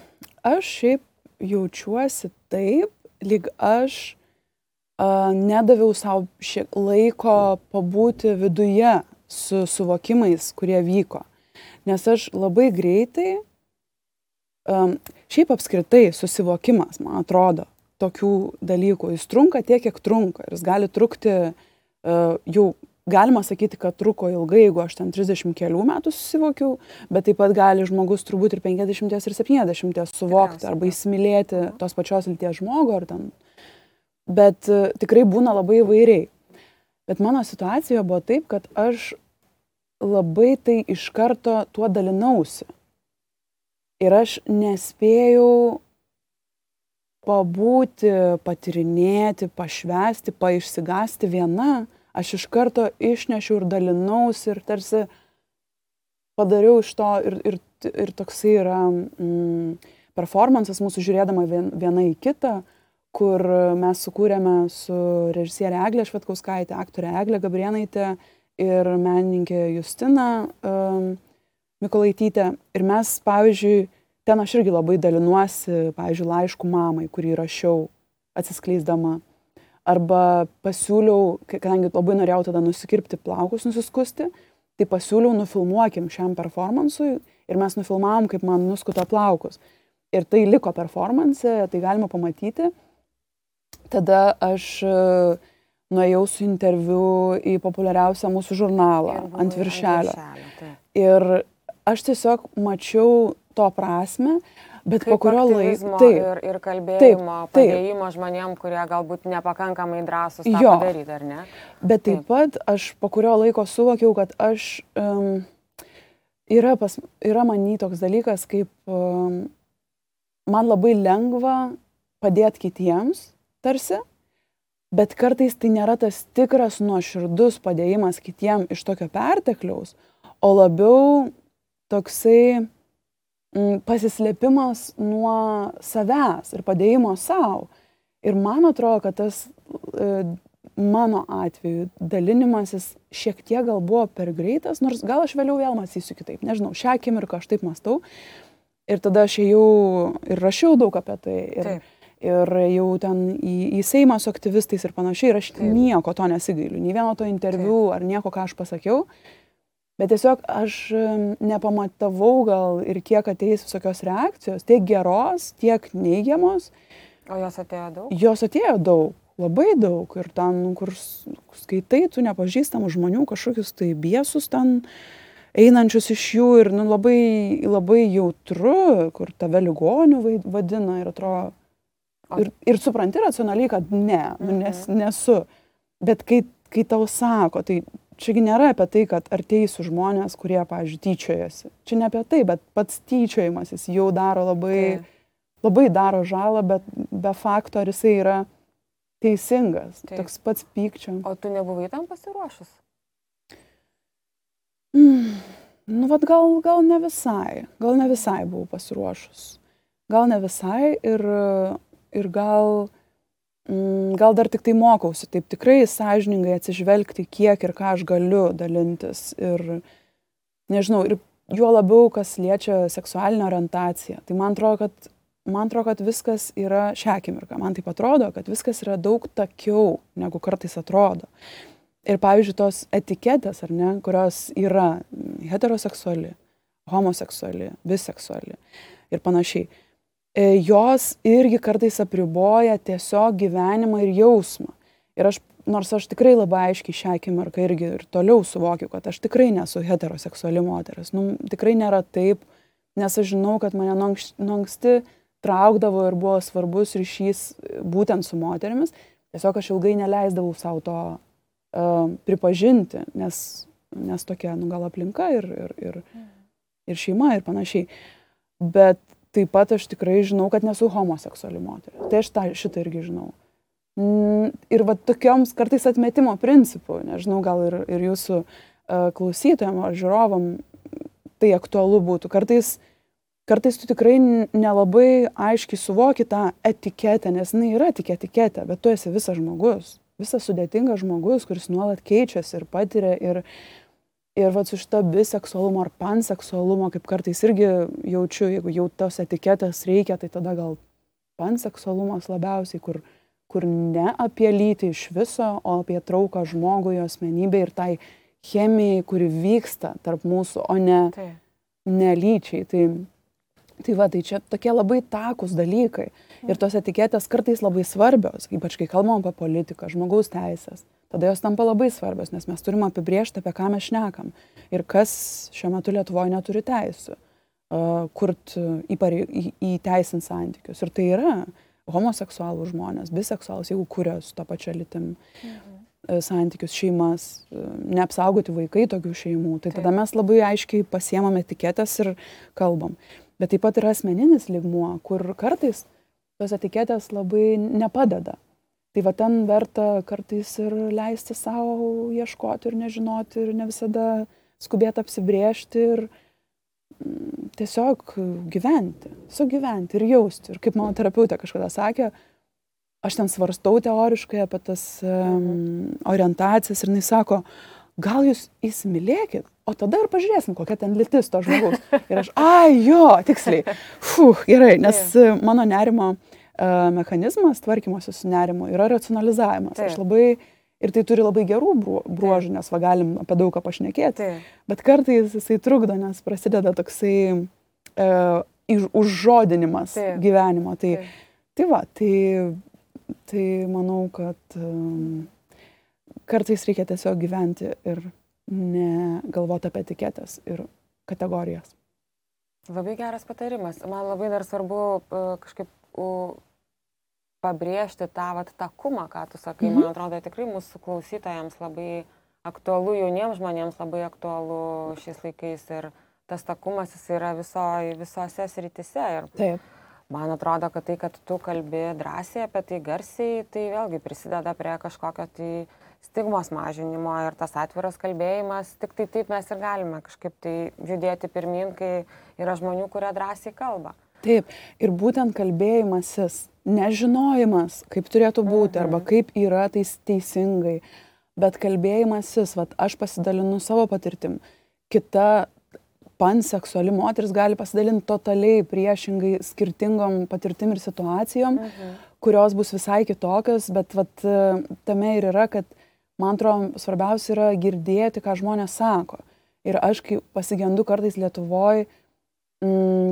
Aš šiaip jaučiuosi taip, lyg aš nedaviau savo laiko pabūti viduje su suvokimais, kurie vyko. Nes aš labai greitai, šiaip apskritai susivokimas, man atrodo, tokių dalykų. Jis trunka tiek, kiek trunka. Ir jis gali trukti, jau galima sakyti, kad truko ilgai, jeigu aš ten 30 kelių metų susivokiau, bet taip pat gali žmogus turbūt ir 50 ir 70 suvokti arba įsimylėti tos pačios lyties žmogų ar ten. Bet tikrai būna labai įvairiai. Bet mano situacija buvo taip, kad aš labai tai iš karto tuo dalinausi. Ir aš nespėjau pabūti, patirinėti, pašvęsti, išsigąsti viena. Aš iš karto išnešiau ir dalinausi ir tarsi padariau iš to ir toksai yra performances mūsų žiūrėdama viena į kitą, kur mes sukūrėme su režisierė Eglė Švedkauskaitė, aktorė Eglė Gabrėnaitė ir menininkė Justina Mikolaitytė. Ir mes, pavyzdžiui, ten aš irgi labai dalinuosi, pavyzdžiui, laiškų mamai, kurį rašiau atsiskleisdama. Arba pasiūliau, kadangi labai norėjau tada nusikirpti plaukus, nusiskusti, tai pasiūliau nufilmuokim šiam performansui ir mes nufilmavom, kaip man nuskuto plaukus. Ir tai liko performanse, tai galima pamatyti. Tada aš nuėjau su interviu į populiariausią mūsų žurnalą ant viršelio. Ir aš tiesiog mačiau to prasme, bet po kurio laiko... Ir kalbėjimo, padėjimo žmonėm, kurie galbūt nepakankamai drąsūs tą padaryti, ar ne? Bet taip pat aš po kurio laiko suvokiau, kad aš... Yra many toks dalykas, kaip man labai lengva padėti kitiems, tarsi, bet kartais tai nėra tas tikras nuoširdus padėjimas kitiem iš tokio pertekliaus, o labiau toksai pasislėpimas nuo savęs ir padėjimo savo. Ir man atrodo, kad tas mano atveju dalinimasis šiek tiek gal buvo per greitas, nors gal aš vėliau vėl mąstysiu kitaip. Nežinau, šią akimirką aš taip mąstau. Ir tada aš ėjau ir rašiau daug apie tai. Ir jau ten į Seimą su aktyvistais ir panašiai, ir aš nieko to nesigailiu, nei vieno to interviu ar nieko, ką aš pasakiau, bet tiesiog aš nepamatavau gal ir kiek ateis visokios reakcijos, tiek geros, tiek neigiamos. O jos atėjo daug? Jos atėjo daug, labai daug, ir ten, kur skaitai, tu nepažįstamų žmonių, kažkokius tai biesus ten einančius iš jų ir labai, labai jautru, kur tave ligonių vadina ir atrodo, ir supranti racionaliai, kad ne, nesu. Bet kai tau sako, tai čiagi nėra apie tai, kad arteisiu žmonės, kurie, pavyzdžiui, tyčiojasi. Čia ne apie tai, bet pats tyčiojimasis jau daro labai daro žalą, bet be fakto, ar jisai yra teisingas. Toks pats pykčio. O tu nebuvai tam pasiruošus? Vat gal ne visai. Gal ne visai buvau pasiruošus. Gal ne visai ir gal dar tik tai mokausi, taip tikrai sąžiningai atsižvelgti, kiek ir ką aš galiu dalintis. Ir nežinau, ir juo labiau, kas liečia seksualinę orientaciją. Tai man atrodo, kad viskas yra šią akimirką. Man taip atrodo, kad viskas yra daug takiau, negu kartais atrodo. Ir pavyzdžiui, tos etiketės, ar ne, kurios yra heteroseksuali, homoseksuali, biseksuali ir panašiai. Jos irgi kartais apriboja tiesiog gyvenimą ir jausmą. Ir nors aš tikrai labai aiškiai šią akimirką irgi ir toliau suvokiu, kad aš tikrai nesu heteroseksuali moteris. Tikrai nėra taip, nes aš žinau, kad mane nuo anksti traukdavo ir buvo svarbus ryšys būtent su moterimis. Tiesiog aš ilgai neleisdavau savo to pripažinti, nes tokia, gal aplinka ir šeima ir panašiai. Bet taip pat aš tikrai žinau, kad nesu homoseksuali moteris. Tai aš šitą irgi žinau. Ir va tokioms kartais atmetimo principų, nežinau, gal ir jūsų klausytojam ar žiūrovam tai aktualu būtų. Kartais tu tikrai nelabai aiškiai suvoki tą etiketę, nes jinai yra tik etiketė, bet tu esi visas žmogus. Visas sudėtingas žmogus, kuris nuolat keičiasi ir patiria ir va su šito biseksualumo ar panseksualumo, kaip kartais irgi jaučiu, jeigu jau tos etiketės reikia, tai tada gal panseksualumas labiausiai, kur ne apie lytį iš viso, o apie trauką žmogui, asmenybę ir tai chemijai, kuri vyksta tarp mūsų, o ne lyčiai. Tai čia tokie labai takūs dalykai. Ir tos etiketės kartais labai svarbios, ypač kai kalbam apie politiką, žmogaus teisės. Tada jos tampa labai svarbios, nes mes turim apibrėžti, apie ką mes šnekam. Ir kas šiuo metu Lietuvoje neturi teisių, kurt įteisint santykius. Ir tai yra homoseksualų žmonės, biseksualus, jeigu kuria su tą pačią lytim santykius, šeimas, neapsaugoti vaikai tokių šeimų. Tai tada mes labai aiškiai pasiemam etiketės ir kalbam. Bet taip pat yra asmeninis lygmuo, kur kartais tos etiketės labai nepadeda. Tai va ten verta kartais ir leisti savo ieškoti ir nežinoti ir ne visada skubėti apsibrėžti ir tiesiog gyventi ir jausti. Ir kaip mano terapeutė kažkada sakė, aš ten svarstau teoriškai apie tas orientacijas ir jinai sako, gal jūs įsimylėkit, o tada ir pažiūrėsim, kokia ten lytis to žmogaus. Ir aš, tiksliai, gerai, nes mano nerimo mechanizmas tvarkymosi su nerimu yra racionalizavimas. Aš labai, ir tai turi labai gerų bruožų, nes galim apie daug ką pašnekėti, bet kartais jisai trukdo, nes prasideda toksai užžodinimas gyvenimo. Tai manau, kad kartais reikia tiesiog gyventi ir negalvoti apie etiketės ir kategorijas. Labai geras patarimas. Man labai dar svarbu kažkaip pabrėžti tą takumą, ką tu sakai. Man atrodo, tikrai mūsų klausytojams labai aktualu, jauniems žmonėms labai aktualu šiais laikais ir tas takumas jis yra visose srityse. Ir Taip. man atrodo, kad tai, kad tu kalbi drąsiai apie tai garsiai, tai vėlgi prisideda prie kažkokio tai stigmos mažinimo ir tas atviras kalbėjimas, tik tai taip mes ir galime kažkaip tai judėti pirmin, kai yra žmonių, kurie drąsiai kalba. Taip, ir būtent kalbėjimasis, nežinojimas, kaip turėtų būti arba kaip yra teisingai, bet kalbėjimasis, aš pasidalinu savo patirtim, kita panseksuali moteris gali pasidalinti totaliai priešingai skirtingom patirtim ir situacijom, kurios bus visai kitokios, bet tame ir yra, kad man atrodo svarbiausia yra girdėti, ką žmonės sako. Ir aš kai pasigendu kartais Lietuvoje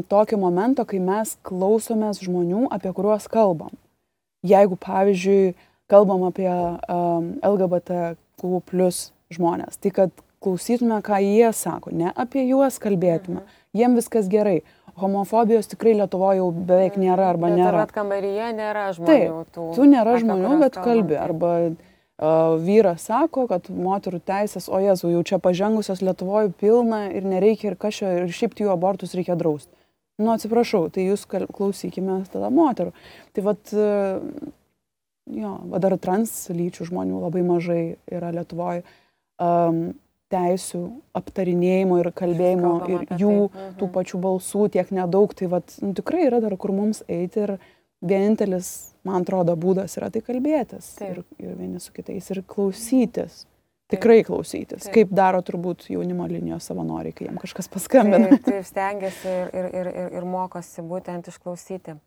tokio momento, kai mes klausomės žmonių, apie kuriuos kalbam. Jeigu, pavyzdžiui, kalbam apie LGBTQ+ žmonės, tai kad klausytume, ką jie sako, ne apie juos kalbėtume. Jiem viskas gerai. Homofobijos tikrai Lietuvoje jau beveik nėra arba nėra. Bet kambaryje nėra žmonių. Taip, tu nėra žmonių, bet kalbi. Arba vyras sako, kad moterų teisės, o Jėzau, jau čia pažengusios Lietuvoje pilna ir nereikia ir kažko, ir šiaip jų abortus reikia drausti. Nu, atsiprašau, tai jūs klausykime tada moterų. Tai dar translyčių žmonių labai mažai yra Lietuvoje. Teisių aptarinėjimo ir kalbėjimo ir jų tų pačių balsų tiek nedaug, tai tikrai yra dar kur mums eiti ir vienintelis, man atrodo, būdas yra tai kalbėtis ir vieni su kitais ir klausytis, tikrai klausytis, kaip daro turbūt jaunimo linijos savanoriai, kai jiem kažkas paskambina. Taip stengiasi ir mokosi būtent išklausyti.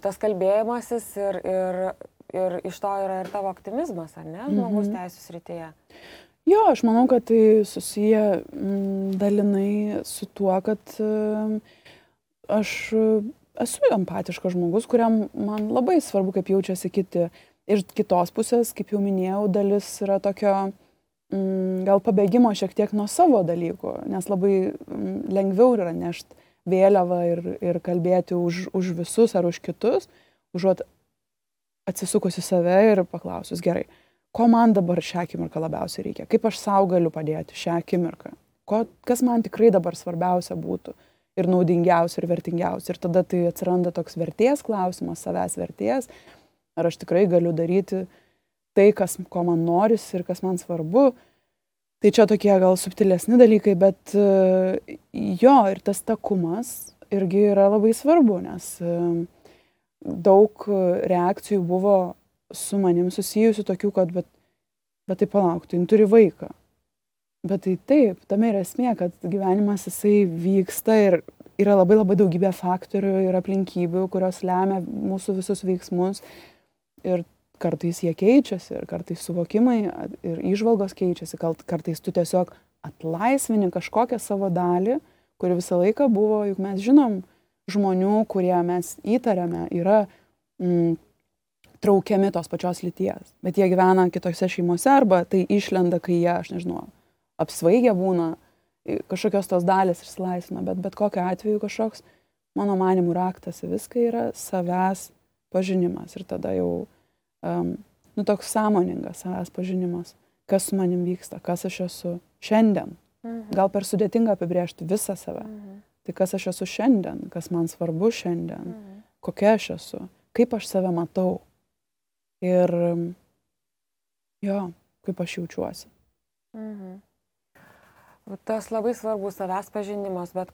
Tas kalbėjimasis ir iš to yra ir tavo optimizmas, ar ne, žmogaus teisų srityje? Jo, aš manau, kad tai susiję dalinai su tuo, kad aš esu empatiškas žmogus, kuriam man labai svarbu, kaip jaučiasi kiti. Ir kitos pusės, kaip jau minėjau, dalis yra tokio gal pabėgimo šiek tiek nuo savo dalykų, nes labai lengviau yra nešti vėliavą ir kalbėti už visus ar už kitus, užuot atsisukusi save ir paklausus, gerai, ko man dabar šią akimirką labiausiai reikia, kaip aš sau galiu padėti šią akimirką, kas man tikrai dabar svarbiausia būtų ir naudingiausia ir vertingiausia. Ir tada tai atsiranda toks vertės klausimas, savęs vertės, ar aš tikrai galiu daryti tai, ko man norisi ir kas man svarbu. Tai čia tokie gal subtilesni dalykai, bet jo, ir tas takumas irgi yra labai svarbu, nes daug reakcijų buvo su manim susijusių tokių, kad bet tai palauk, tai turi vaiką. Bet tai taip, tame yra esmė, kad gyvenimas jisai vyksta ir yra labai labai daugybė faktorių ir aplinkybių, kurios lemia mūsų visus veiksmus. Ir kartais jie keičiasi, ir kartais suvokimai ir įžvalgos keičiasi, kartais tu tiesiog atlaisvini kažkokią savo dalį, kuri visą laiką buvo, juk mes žinom, žmonių, kurie mes įtariame, yra traukiami tos pačios lyties, bet jie gyvena kitose šeimose arba tai išlenda, kai jie, aš nežinau, apsvaigę būna, kažkokios tos dalys išsilaisvina, bet kokiu atveju kažkoks, mano manimų, raktas į viską yra savęs pažinimas ir tada jau toks sąmoningas savęs pažinimas, kas su manim vyksta, kas aš esu šiandien. Gal per sudėtinga apibrėžti visą save. Tai kas aš esu šiandien, kas man svarbu šiandien, kokia aš esu, kaip aš save matau ir kaip aš jaučiuosi. Tas labai svarbus savęs pažinimas, bet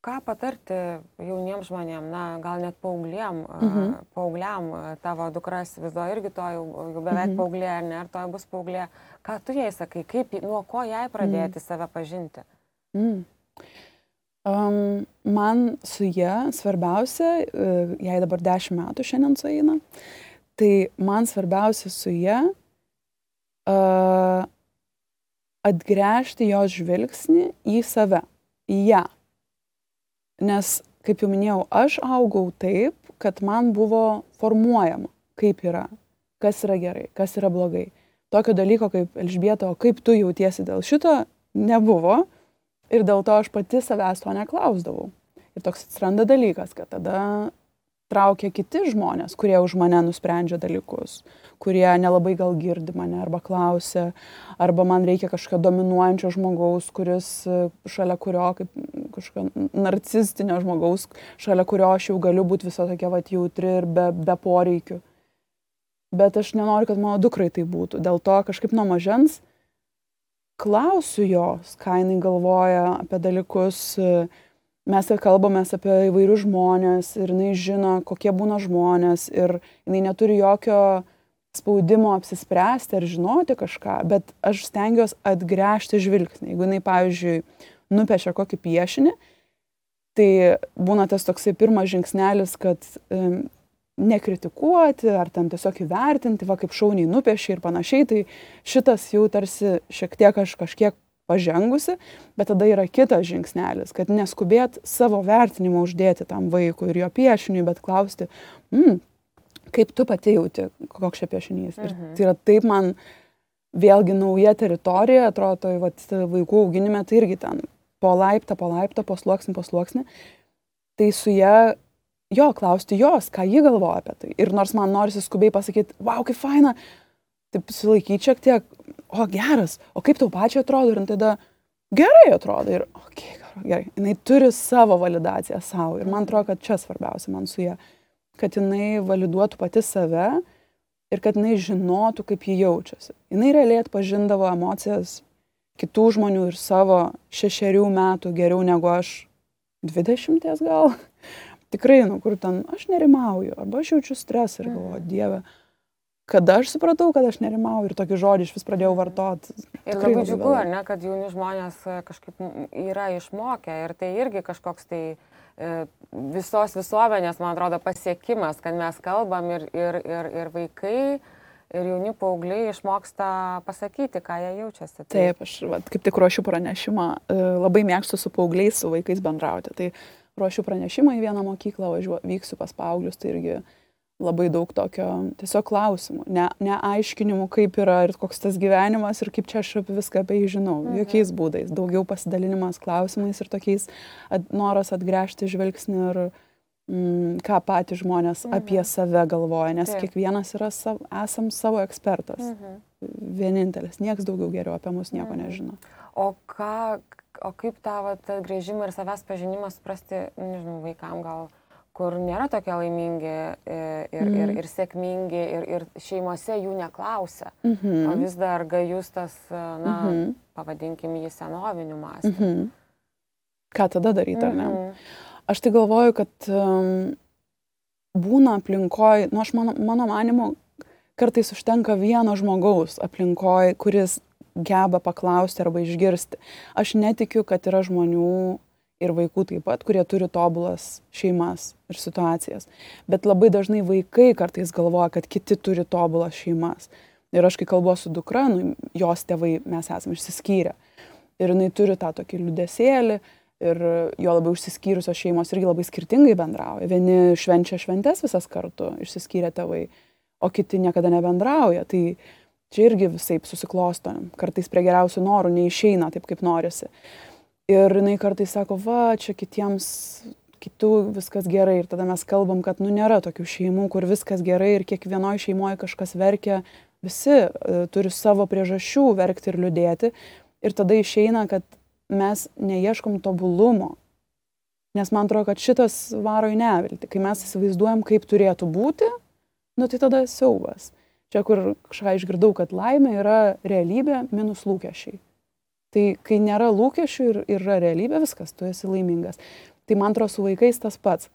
ką patarti jauniems žmonėms, gal net paaugliam, tavo dukras viso irgi to jau beveik paauglė, ar ne, ar to bus paauglė, ką tu jai sakai, nuo ko jai pradėti save pažinti? Man su ja svarbiausia, jai dabar 10 metų šiandien sueina, tai man svarbiausia su ja atgręžti jos žvilgsnį į save, į ją. Nes, kaip jau minėjau, aš augau taip, kad man buvo formuojama, kaip yra, kas yra gerai, kas yra blogai. Tokio dalyko kaip Elžbieta, o kaip tu jautiesi dėl šito, nebuvo. Ir dėl to aš pati savęs to neklausdavau. Ir toks atsiranda dalykas, kad tada traukia kiti žmonės, kurie už mane nusprendžia dalykus, kurie nelabai gal girdi mane arba klausia, arba man reikia kažkokio dominuojančio žmogaus, kuris šalia kurio, kaip kažkokio narcistinio žmogaus, šalia kurio aš jau galiu būti visą tokia jautri ir be poreikių. Bet aš nenoriu, kad mano dukrai tai būtų. Dėl to kažkaip nuo mažens klausiu jos, ką jinai galvoja apie dalykus. Mes kalbamės apie įvairius žmonės ir jinai žino, kokie būna žmonės ir jinai neturi jokio spaudimo apsispręsti ar žinoti kažką, bet aš stengiuosi atgręžti žvilgsnį. Jeigu jinai, pavyzdžiui, nupiešia kokį piešinį, tai būna tas toksai pirmas žingsnelis, kad nekritikuoti ar ten tiesiog įvertinti, va kaip šauniai nupiešia ir panašiai, tai šitas jau tarsi šiek tiek aš kažkiek pažengusi, bet tada yra kitas žingsnelis, kad neskubėt savo vertinimą uždėti tam vaikui ir jo piešiniui, bet klausti, kaip tu pati jauti, koks čia piešinys. Ir tai yra taip man vėlgi nauja teritorija, atrodo, vaikų auginime, tai irgi ten po laiptą, po sluoksnį. Tai su ją, klausti jos, ką ji galvoja apie tai. Ir nors man norisi skubiai pasakyti, wow, kaip faina, taip sulaikyti šiek tiek, o geras, o kaip tau pačiai atrodo, ir tada gerai atrodo, ir gerai, jinai turi savo validaciją savo, ir man atrodo, kad čia svarbiausia man su ją, kad jinai validuotų pati save ir kad jinai žinotų, kaip ji jaučiasi. Jinai realiai atpažindavo emocijas kitų žmonių ir savo 6 metų geriau negu aš 20 gal. Tikrai, kur ten aš nerimauju, arba aš jaučiu stresą ir galvoju, Dieve, kada aš supratau, kad aš nerimauju ir tokį žodį iš vis pradėjau vartoti. Ir labai džiugu, ar ne, kad jauni žmonės kažkaip yra išmokę ir tai irgi kažkoks tai visos visuomenės, man atrodo, pasiekimas, kad mes kalbam ir vaikai, ir jauni paaugliai išmoksta pasakyti, ką jie jaučiasi. Taip, aš kaip tik ruošiu pranešimą, labai mėgstu su paaugliais, su vaikais bendrauti. Tai ruošiu pranešimą į vieną mokyklą, vyksiu pas paauglius, tai irgi labai daug tokio tiesiog klausimų, neaiškinimų, kaip yra ir koks tas gyvenimas ir kaip čia aš viską apie jį žinau, jokiais būdais, daugiau pasidalinimas klausimais ir tokiais noras atgręžti žvilgsnį ir ką patys žmonės apie save galvoja, nes kiekvienas yra esam savo ekspertas, vienintelis, nieks daugiau geriau apie mus nieko nežino. O kaip tą grįžimą ir savęs pažinimą suprasti, nežinau, vaikam gal, kur nėra tokie laimingi ir sėkmingi ir šeimose jų neklausia, o vis dar gajus tas, pavadinkim jį senoviniu mąstymu. Ką tada daryti, ar ne? Aš tai galvoju, kad būna aplinkoj, aš mano manimu, kartais užtenka vieno žmogaus aplinkoj, kuris geba paklausti arba išgirsti. Aš netikiu, kad yra žmonių ir vaikų taip pat, kurie turi tobulas šeimas ir situacijas. Bet labai dažnai vaikai kartais galvoja, kad kiti turi tobulas šeimas. Ir aš kai kalbu su dukra, jos tėvai, mes esame išsiskyrę. Ir jinai turi tą tokį liūdesėlį ir jo labai išsiskyrusios šeimos irgi labai skirtingai bendrauja. Vieni švenčia šventes visas kartu, išsiskyrę tėvai, o kiti niekada nebendrauja. Tai čia irgi visaip susiklosto. Kartais prie geriausių norų neišeina taip, kaip norisi. Ir jinai kartais sako, čia kitų viskas gerai. Ir tada mes kalbam, kad nėra tokių šeimų, kur viskas gerai ir kiekvienoje šeimoje kažkas verkia. Visi turi savo priežasčių verkti ir liūdėti. Ir tada išeina, kad mes neieškom tobulumo. Nes man atrodo, kad šitas varo į neviltį. Kai mes įsivaizduojam, kaip turėtų būti, tai tada siaubas. Čia, kur kažką išgirdau, kad laimė yra realybė minus lūkesčiai. Tai kai nėra lūkesčių ir yra realybė, viskas, tu esi laimingas. Tai man atrodo su vaikais tas pats.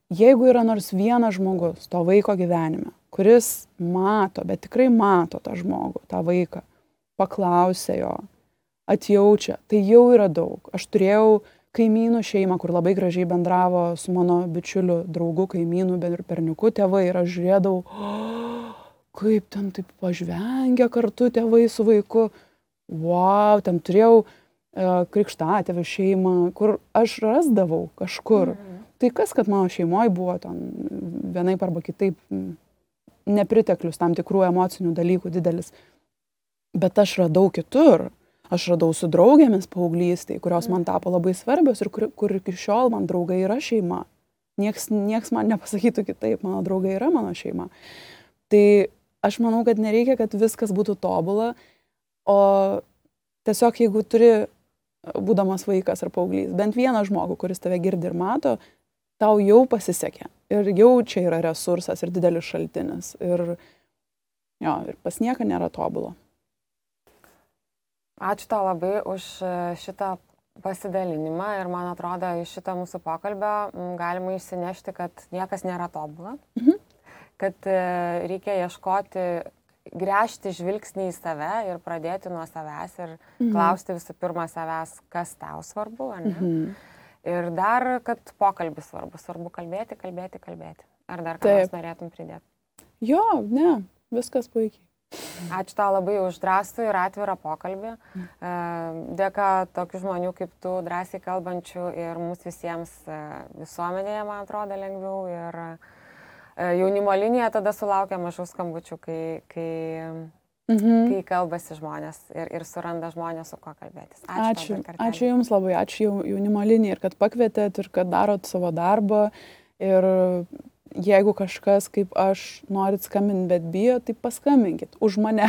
Jeigu yra nors vienas žmogus to vaiko gyvenime, kuris mato, bet tikrai mato tą žmogų, tą vaiką, paklausia jo, atjaučia, tai jau yra daug. Aš turėjau kaimynų šeimą, kur labai gražiai bendravo su mano bičiuliu, draugu, kaimynų, berniuku tėvai ir aš žiūrėdavau, kaip ten taip pažvengia kartu tėvai su vaiku. Wow, ten turėjau krikštatėvių šeimą, kur aš rasdavau kažkur. Tai kas, kad mano šeimoje buvo ten vienaip arba kitaip nepriteklius tam tikrų emocinių dalykų didelis. Bet aš radau kitur. Aš radau su draugėmis paauglystėj, kurios man tapo labai svarbios ir kur iki šiol man draugai yra šeima. Nieks man nepasakytų kitaip, mano draugai yra mano šeima. Tai aš manau, kad nereikia, kad viskas būtų tobula, o tiesiog jeigu turi, būdamas vaikas ar paauglys, bent vieną žmogų, kuris tave girdi ir mato, tau jau pasisekė. Ir jau čia yra resursas ir didelis šaltinis. Ir pas nieką nėra tobulo. Ačiū tau labai už šitą pasidalinimą ir man atrodo, iš šito mūsų pokalbio galima išsinešti, kad niekas nėra tobula, kad reikia ieškoti, gręžti žvilgsnį į save ir pradėti nuo savęs ir klausti visų pirma savęs, kas tau svarbu, ar ne? Ir dar, kad pokalbis svarbu kalbėti. Ar dar ką nors norėtum pridėti? Jo, ne, viskas puikiai. Ačiū tau labai už drąsų ir atvirą pokalbį. Dėka tokių žmonių kaip tu, drąsiai kalbančių ir mums visiems visuomenėje, man atrodo, lengviau. Ir jaunimo linija tada sulaukia mažų skambučių, kai kalbasi žmonės ir suranda žmonės, su kuo kalbėtis. Ačiū Jums labai, ačiū jaunimo linijai ir kad pakvietėt ir kad darot savo darbą. Ir jeigu kažkas kaip aš norit skambinti, bet bijo, tai paskambinkit už mane.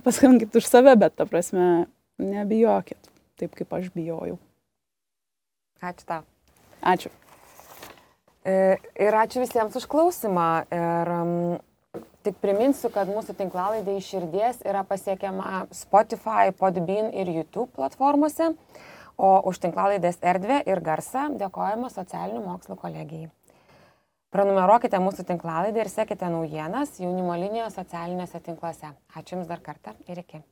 Paskambinkit už save, bet ta prasme nebijokit, taip kaip aš bijojau. Ačiū tau. Ačiū. Ir ačiū visiems už klausimą. Ir tik priminsiu, kad mūsų tinklalaidė Iš širdies yra pasiekiama Spotify, Podbean ir YouTube platformose, o už tinklalaidės erdvę ir garsą dėkojame Socialinių mokslų kolegijai. Prenumeruokite mūsų tinklalaidę ir sekite naujienas jaunimo linijos socialiniuose tinkluose. Ačiū Jums dar kartą ir iki.